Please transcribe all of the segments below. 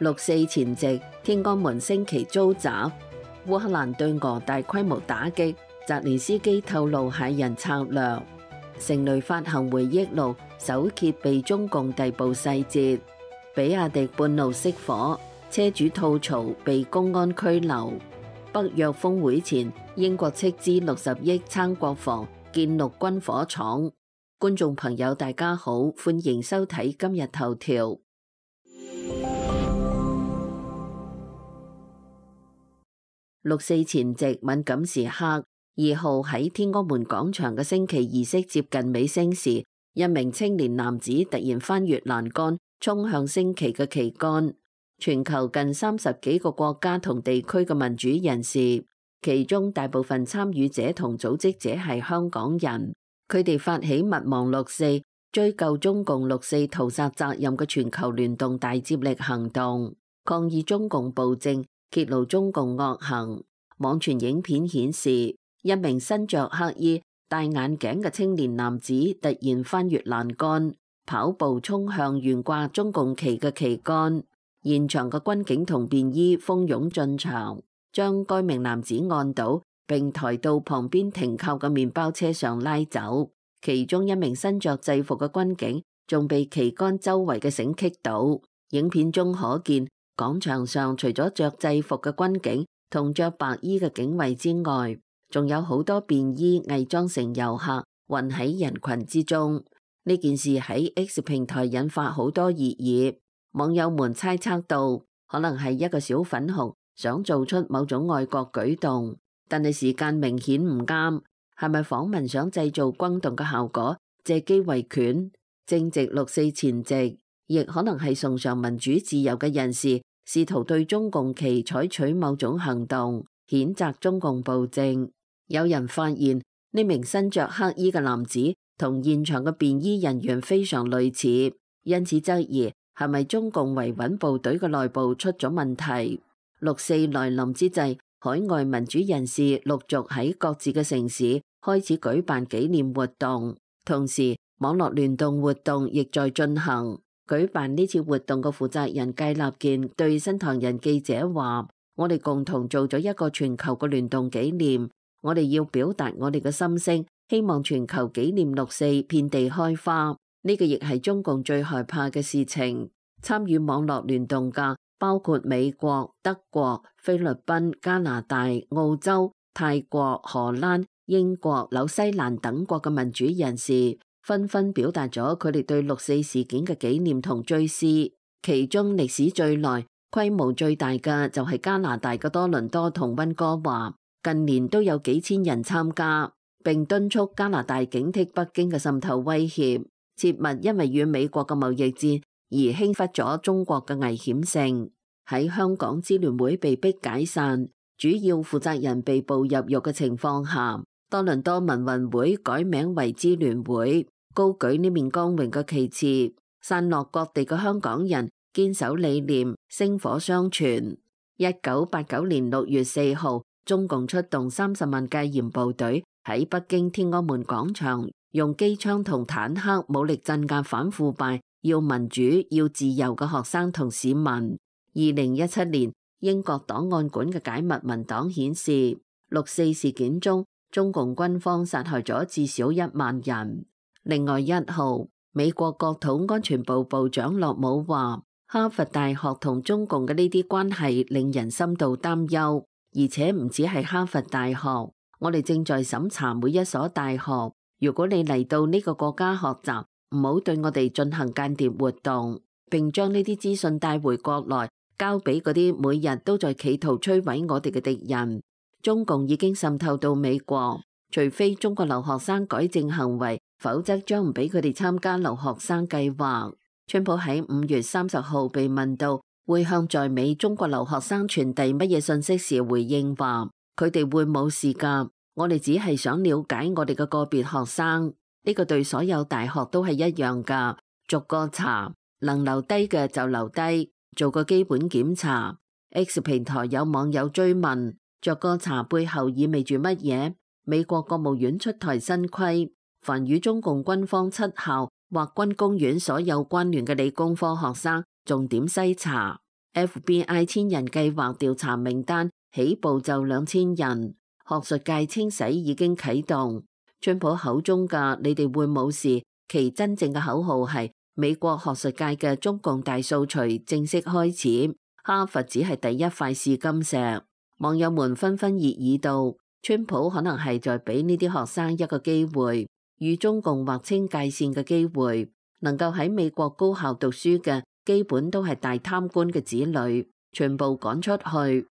6四前夕，天安門升旗遭襲，烏克蘭對俄大規模打擊，澤連斯基透露駭人策略。成蕾發行回憶錄，首揭被中共逮捕細節。比亞迪半路熄火，車主吐槽被公安拘留。北約峰會前，英國斥資60億撐國防，建陸軍火廠。觀眾朋友大家好，歡迎收睇今日頭條。6四前夕敏感時刻，2號喺天安門廣場嘅升旗儀式接近尾聲時，一名青年男子突然翻越欄杆，衝向升旗嘅旗杆。全球近30幾個國家同地區嘅民主人士，其中大部分參與者同組織者係香港人，佢哋發起勿忘6四，追究中共6四屠殺責任嘅全球聯動大接力行動，抗議中共暴政，揭露中共惡行。網傳影片顯示，一名身着黑衣、戴眼鏡嘅青年男子突然翻越欄杆，跑步衝向懸掛中共旗嘅旗杆。現場嘅軍警同便衣蜂擁進場，將該名男子按倒，並抬到旁邊停靠嘅麵包車上拉走。其中一名身着制服嘅軍警仲被旗杆周圍嘅繩棘到。影片中可見，廣場上除咗着制服嘅軍警同着白衣嘅警衛之外，仲有好多便衣偽裝成遊客混喺人群之中。呢件事喺 X 平台引發好多熱議，網友們猜測到可能係一個小粉紅想做出某種愛國舉動，但係時間明顯唔啱，係咪訪民想製造轟動嘅效果，借機維權？正值6四前夕，亦可能係崇尚民主自由嘅人士試圖對中共旗採取某種行動，譴責中共暴政。有人發現呢名身着黑衣嘅男子同現場嘅便衣人員非常類似，因此質疑係咪中共維穩部隊嘅內部出咗問題。6四來臨之際，海外民主人士陸續喺各自嘅城市開始舉辦紀念活動，同時網絡聯動活動亦在進行。舉辦呢次活動嘅負責人計立健對新唐人記者話：我哋共同做咗一個全球嘅聯動紀念，我哋要表達我哋嘅心聲，希望全球紀念6四遍地開花。呢個亦係中共最害怕嘅事情。參與網絡聯動嘅包括美國、德國、菲律賓、加拿大、澳洲、泰國、荷蘭、英國、紐西蘭等國嘅民主人士，紛紛表達咗佢哋對6四事件嘅紀念同追思。其中歷史最耐、規模最大嘅就係加拿大嘅多倫多同溫哥華，近年都有幾千人參加，並敦促加拿大警惕北京嘅滲透威脅，切勿因為與美國嘅貿易戰而輕忽咗中國嘅危險性。喺香港支聯會被逼解散，主要負責人被捕入獄嘅情況下，多倫多民運會改名為支聯會，高舉呢面光榮嘅旗幟，散落各地嘅香港人堅守理念，薪火相傳。1989年6月4號，中共出動30萬戒嚴部隊喺北京天安門廣場，用機槍同坦克武力鎮壓反腐敗、要民主、要自由嘅學生同市民。2017年，英國檔案館嘅解密文檔顯示，6四事件中，中共軍方殺害咗至少1萬人。另外1號，美國國土安全部部長洛姆話，哈佛大學同中共嘅呢啲關係令人深度擔憂，而且唔止係哈佛大學，我哋正在審查每一所大學。如果你嚟到呢個國家學習，唔好對我哋進行間諜活動，並將呢啲資訊帶回國內，交俾嗰啲每日都在企圖摧毀我哋嘅敵人。中共已經滲透到美國，除非中國留學生改正行為，否則將唔俾佢哋參加留學生計劃。川普喺5月30號被問到會向在美中國留學生傳遞乜嘢信息時，回應話：佢哋會冇事㗎，我哋只係想了解我哋嘅個別學生。呢個對所有大學都係一樣㗎，逐個查，能留低嘅就留低。做個基本檢查。X 平台有網友追問，逐個查背後意味住乜嘢？美國國務院出台新規，凡與中共軍方7校或軍工院所有關聯嘅理工科學生，重點篩查。FBI 千人計劃調查名單起步就2000人，學術界清洗已經啟動。川普口中嘅你哋會冇事，其真正嘅口號係美國學術界嘅中共大掃除正式開始。哈佛只係第一塊試金石。網友們紛紛熱議道，川普可能係在俾呢啲學生一個機會，與中共劃清界線嘅機會。能夠喺美國高校讀書嘅，基本都係大貪官嘅子女，全部趕出去。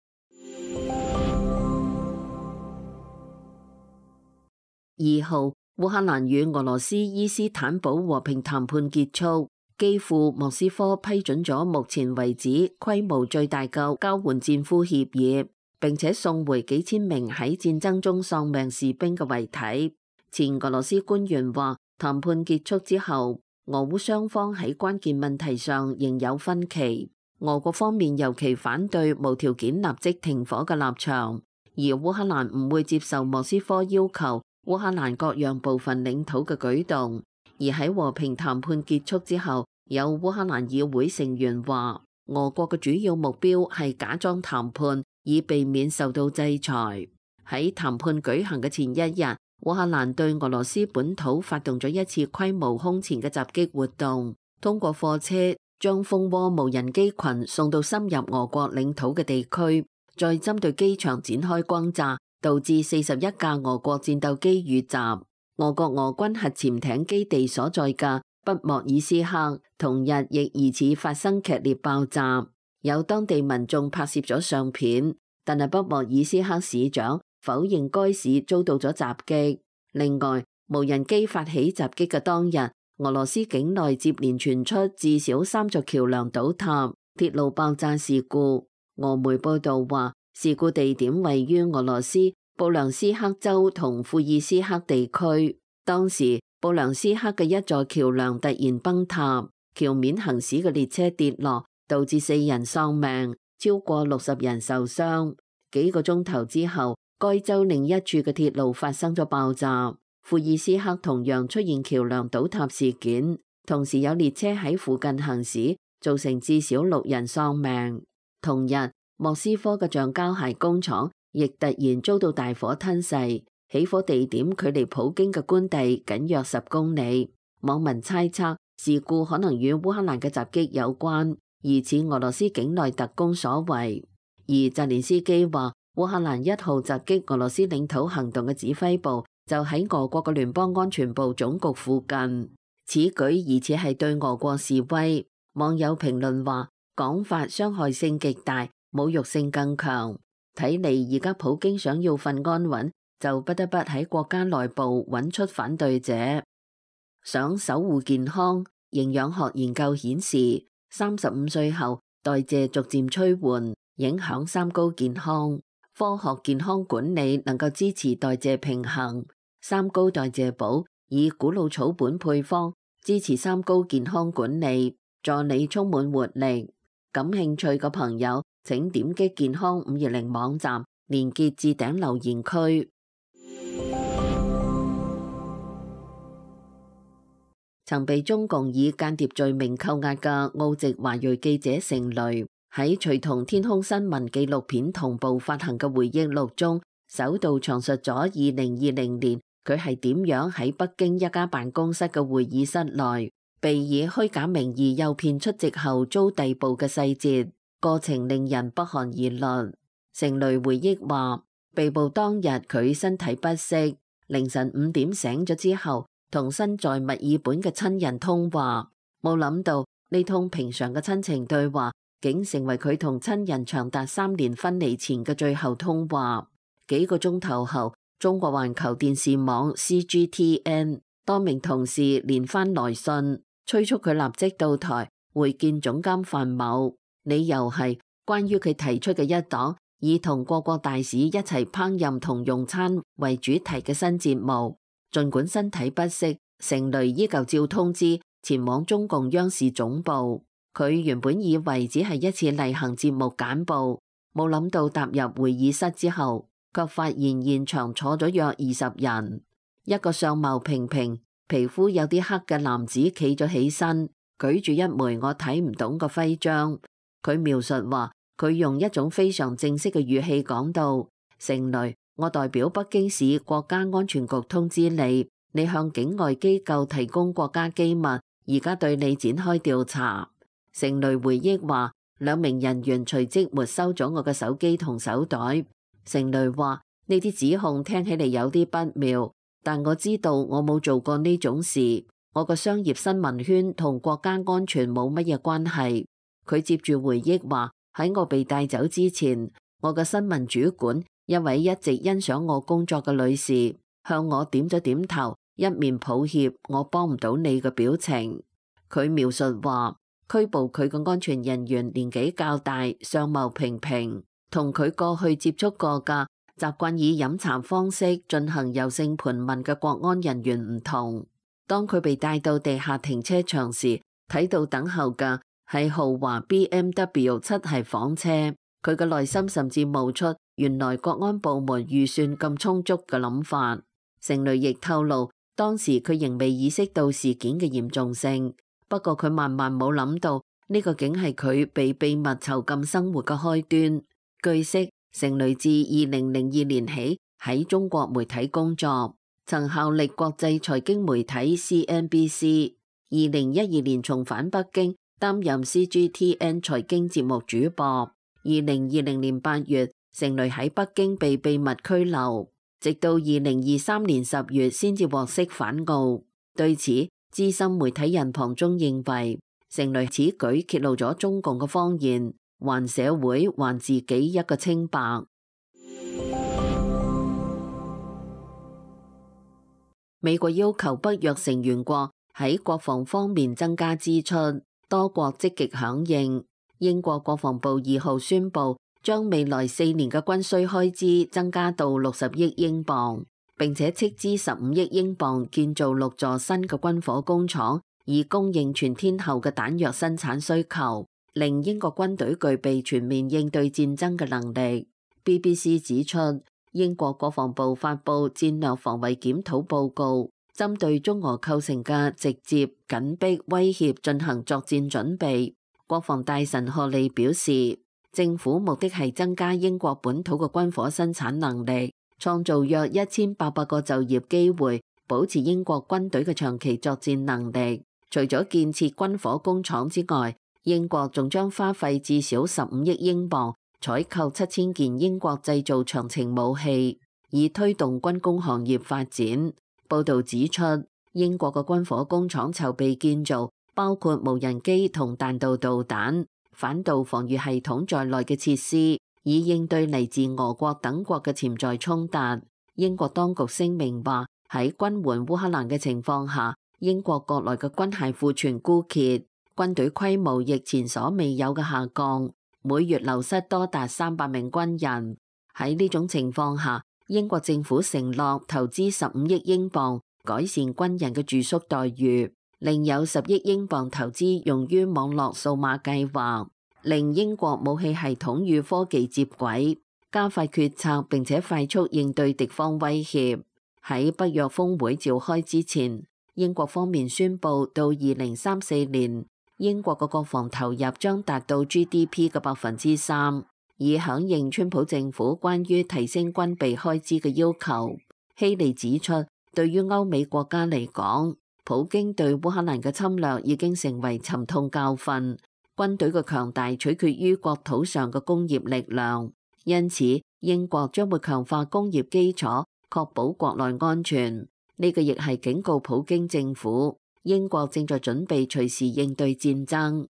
2號，烏克蘭與俄羅斯伊斯坦堡和平談判結束，基輔莫斯科批准咗目前為止規模最大嘅交換戰俘協議，並且送回幾千名喺戰爭中喪命士兵嘅遺體。前俄羅斯官員話，談判結束之後，俄烏雙方喺關鍵問題上仍有分歧。俄國方面尤其反對無條件立即停火嘅立場，而烏克蘭唔會接受莫斯科要求烏克蘭割讓部分領土嘅舉動。而喺和平談判結束之後，有烏克蘭議會成員話，俄國嘅主要目標係假裝談判，以避免受到制裁。喺談判舉行嘅前一日，烏克蘭對俄羅斯本土發動咗一次規模空前嘅襲擊活動，通過貨車將蜂窩無人機群送到深入俄國領土嘅地區，再針對機場展開轟炸，導致41架俄國戰鬥機遇襲。俄國俄軍核潛艇基地所在嘅北莫爾斯克同日亦疑似發生劇烈爆炸，有當地民眾拍攝咗相片，但係北莫爾斯克市長否認該市遭到咗襲擊。另外，無人機發起襲擊嘅當日，俄羅斯境內接連傳出至少3座橋樑倒塌、鐵路爆炸事故。俄媒報道話，事故地點位於俄羅斯布良斯克州同庫爾斯克地區。當時布良斯克嘅一座橋樑突然崩塌，橋面行駛嘅列車跌落，導致4人喪命，超過60人受傷。幾個鐘頭之後，該州另一處嘅鐵路發生咗爆炸。庫爾斯克同樣出現橋樑倒塌事件，同時有列車喺附近行駛，造成至少6人喪命。同日，莫斯科嘅橡膠鞋工廠亦突然遭到大火吞噬，起火地點距離普京嘅官邸僅約10公里。網民猜測事故可能與烏克蘭嘅襲擊有關，疑似俄羅斯境內特工所為。而澤連斯基話，烏克蘭1號襲擊俄羅斯領土行動嘅指揮部就喺俄國嘅聯邦安全部總局附近，此舉疑似係對俄國示威。網友評論話，講法傷害性極大，侮辱性更強。睇嚟而家普京想要份安穩，就不得不喺國家內部揾出反對者。想守護健康，營養學研究顯示，35歲後代謝逐漸趨緩，影響三高健康。科學健康管理能夠支持代謝平衡。三高代謝寶以古老草本配方支持三高健康管理，助你充滿活力。感興趣嘅朋友，請點擊健康520網站，連結置頂留言區。曾被中共以間諜罪名扣押嘅澳籍華裔記者成蕾，喺隨同天空新聞紀錄片同步發行嘅回憶錄中，首度詳述咗2020年佢係點樣喺北京一家辦公室嘅會議室內，被以虛假名義誘騙出席後遭逮捕嘅細節，過程令人不寒而慄。成蕾回憶話，被捕當日佢身體不適，凌晨5點醒咗之後，同身在墨爾本嘅親人通話，冇諗到呢通平常嘅親情對話，竟成為佢同親人長達3年分離前嘅最後通話。幾個鐘頭後，中國環球電視網 CGTN 多名同事連番來信，催促佢立即到台會見總監范某，理由係關於佢提出嘅一檔以同各國大使一齊烹飪同用餐為主題嘅新節目。儘管身體不適，成蕾依舊照通知前往中共央視總部。佢原本以為只係一次例行節目簡報，冇諗到踏入會議室之後，卻發現現場坐咗約20人。一個相貌平平、皮膚有啲黑嘅男子企咗起身，舉住一枚我睇唔懂嘅徽章。佢描述話，佢用一種非常正式嘅語氣講到：成蕾，我代表北京市國家安全局通知你，你向境外機構提供國家機密，而家對你展開調查。成蕾回憶話，兩名人員隨即沒收咗我嘅手機同手袋。成蕾話，呢啲指控聽起嚟有啲不妙，但我知道我冇做過呢種事，我個商業新聞圈同國家安全冇乜嘢關係。佢接住回憶話，喺我被帶走之前，我嘅新聞主管，一位一直欣賞我工作嘅女士，向我點咗點頭，一面抱歉我幫唔到你嘅表情。佢描述話，拘捕佢嘅安全人員年紀較大，相貌平平，同佢過去接觸過嘅習慣以飲茶方式進行柔性盤問嘅國安人員唔同。當佢被帶到地下停車場時，睇到等候嘅係豪華 BMW 7系房車，佢嘅內心甚至冒出原來國安部門預算咁充足嘅諗法。成蕾亦透露，當時佢仍未意識到事件嘅嚴重性，不過佢萬萬冇諗到呢個竟係佢被秘密囚禁生活嘅開端。據悉，成蕾自2002年起喺中國媒體工作，曾效力國際財經媒體 CNBC。2012年重返北京，擔任 CGTN 財經節目主播。2020年8月，成蕾喺北京被秘密拘留，直到2023年10月先至獲釋返澳。對此，資深媒體人龐中認為，成蕾此舉揭露咗中共嘅謊言，還社會還自己一個清白。美國要求北約成員國喺國防方面增加支出，多國積極響應。英國國防部2號宣布，將未來4年嘅軍需開支增加到60億英鎊，並且斥資15億英鎊建造6座新嘅軍火工廠，以供應全天候嘅彈藥生產需求，令英國軍隊具備全面應對戰爭嘅能力。BBC 指出，英國國防部發布戰略防衛檢討報告，針對中俄構成嘅直接緊迫威脅進行作戰準備。國防大臣賀利表示，政府目的係增加英國本土嘅軍火生產能力，創造約1800個就業機會，保持英國軍隊嘅長期作戰能力。除咗建設軍火工廠之外，英國仲將花費至少15億英鎊，採購7000件英國製造長程武器，以推動軍工行業發展。報導指出，英國嘅軍火工廠籌備建造包括無人機同彈道導彈、反導防禦系統在內嘅設施，以應對嚟自俄國等國嘅潛在衝突。英國當局聲明話，喺軍援烏克蘭嘅情況下，英國國內嘅軍械庫存枯竭，軍隊規模亦前所未有嘅下降，每月流失多達300名軍人。喺呢種情況下，英國政府承諾投資15億英鎊改善軍人嘅住宿待遇，另有10億英鎊投資用於網絡數碼計劃，令英國武器系統與科技接軌，加快決策並且快速應對敵方威脅。喺北約峰會召開之前，英國方面宣布到2034年，英國嘅國防投入將達到 GDP 嘅3%，以響應川普政府關於提升軍備開支嘅要求。希利指出，對於歐美國家嚟講，普京對烏克蘭嘅侵略已經成為沉痛教訓，軍隊嘅強大取決於國土上嘅工業力量，因此英國將會強化工業基礎，確保國內安全。呢個亦係警告普京政府，英國正在準備隨時應對戰爭。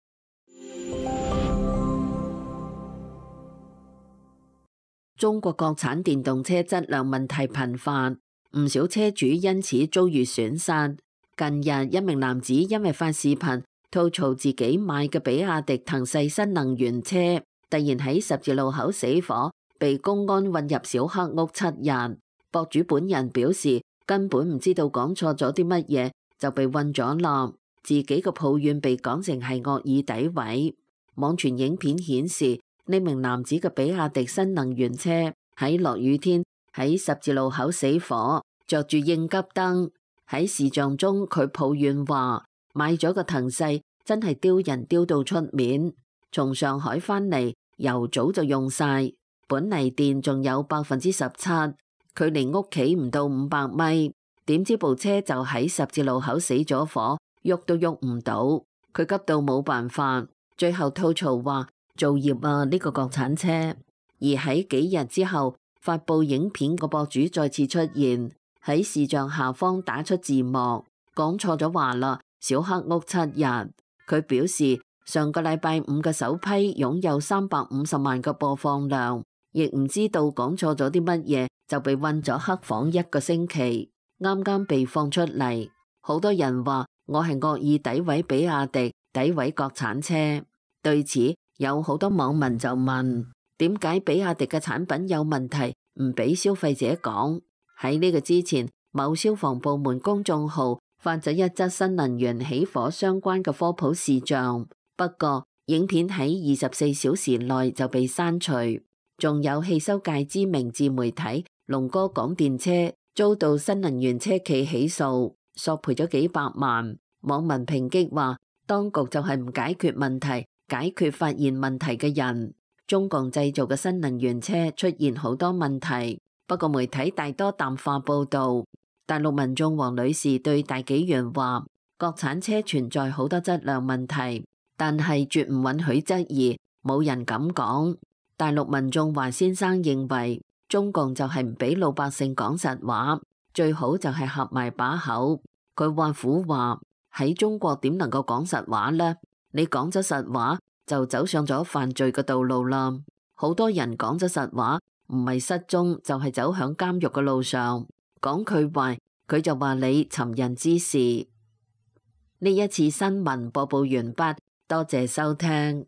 中國國產電動車質量問題頻發，唔少車主因此遭遇損失。近日，一名男子因為發視頻吐槽自己買嘅比亞迪騰勢新能源車突然喺十字路口死火，被公安運入小黑屋7日。博主本人表示根本唔知道講錯咗啲乜嘢就被運咗落，自己嘅抱怨被講成係惡意詆毀。網傳影片顯示，呢名男子嘅比亞迪新能源車喺落雨天喺十字路口死火，着住應急燈。喺視像中，佢抱怨話買咗個騰勢真係丟人丟到出面，從上海返嚟，油早就用晒，本嚟電仲有17%，距離屋企唔到500米，點知部車就喺十字路口死咗火，喐都喐唔到，佢急到冇辦法，最後吐槽話造業啊，呢個國產車。而喺幾日之後，發布影片個博主再次出現，喺視像下方打出字幕，講錯咗話啦，小黑屋7日。佢表示上個禮拜五嘅首批擁有350萬個播放量，亦唔知道講錯咗啲乜嘢，就被困咗黑房1個星期，啱啱被放出嚟。好多人話我係惡意詆毀比亞迪，詆毀國產車。對此有好多網民就問，點解比亞迪嘅產品有問題唔俾消費者講？喺呢個之前，某消防部門公眾號發咗一則新能源起火相關嘅科普視像，不過影片喺24小時內就被刪除。仲有汽修界知名自媒體龍哥講電車遭到新能源車企起訴，索賠咗幾百萬。網民抨擊話，當局就係唔解決問題，解決發現問題嘅人。中共製造嘅新能源車出現好多問題，不過媒體大多淡化報導。大陸民眾黃女士對大紀元話，國產車存在好多質量問題，但係絕唔允許質疑，冇人敢講。大陸民眾華先生認為，中共就係唔俾老百姓講實話，最好就係合埋把口。佢話苦話，喺中國點能夠講實話呢？你講咗實話就走上咗犯罪嘅道路啦。好多人講咗實話，唔係失蹤就係走向監獄嘅路上。講佢壞，佢就話你尋釁滋事。呢一次新聞播報完畢，多謝收聽。